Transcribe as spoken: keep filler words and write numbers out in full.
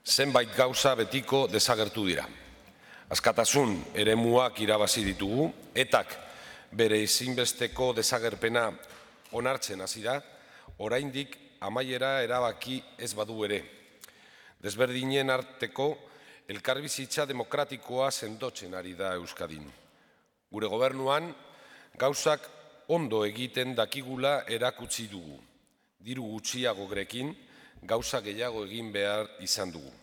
zenbait gauza betiko desagertu dira. Askatasun eremuak irabazi ditugu, etak bere ezinbesteko desagerpena onartzen hasi da, oraindik amaiera erabaki ez badu ere. Desberdinen arteko elkarbizitza demokratikoa sendotzen ari da Euskadin. Gure gobernuan gauzak ondo egiten dakigula erakutsi dugu. Diru gutxiago grekin, gauza gehiago egin behar izan dugu.